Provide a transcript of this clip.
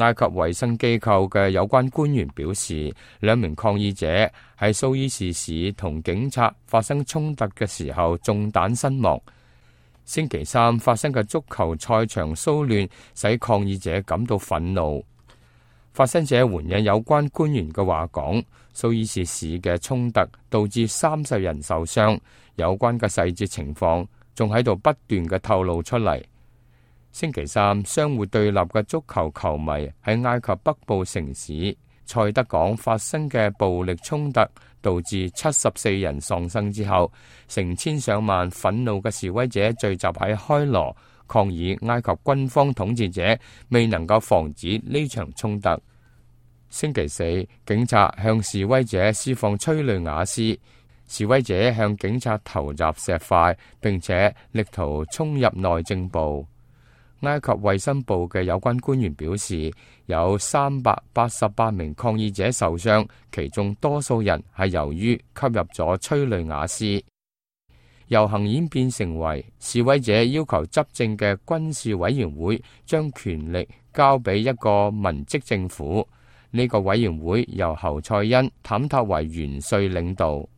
埃及衛生機構嘅有關官員表示，2名抗議者喺蘇伊士市同警察發生衝突嘅時候中彈身亡。星期三發生嘅足球賽場騷亂使抗議者感到憤怒。發生者援引有關官員嘅話講，蘇伊士市嘅衝突導致30人受傷，有關嘅細節情況仲喺度不斷嘅透露出嚟。星期三，相互對立嘅足球球迷喺埃及北部城市塞德港發生嘅暴力衝突，導致74人喪生之後，成千上萬憤怒嘅示威者聚集喺開羅，抗議埃及軍方統治者未能夠防止呢場衝突。星期四，警察向示威者施放催淚瓦斯，示威者向警察投擲石塊，並且力圖衝入內政部。埃及衛生部嘅有關官員表示，有388名抗議者受傷，其中多數人係由於吸入咗催淚瓦斯。遊行演變成為示威者要求執政嘅軍事委員會將權力交俾一個文職政府。呢個委員會由侯賽因坦塔為元帥領導。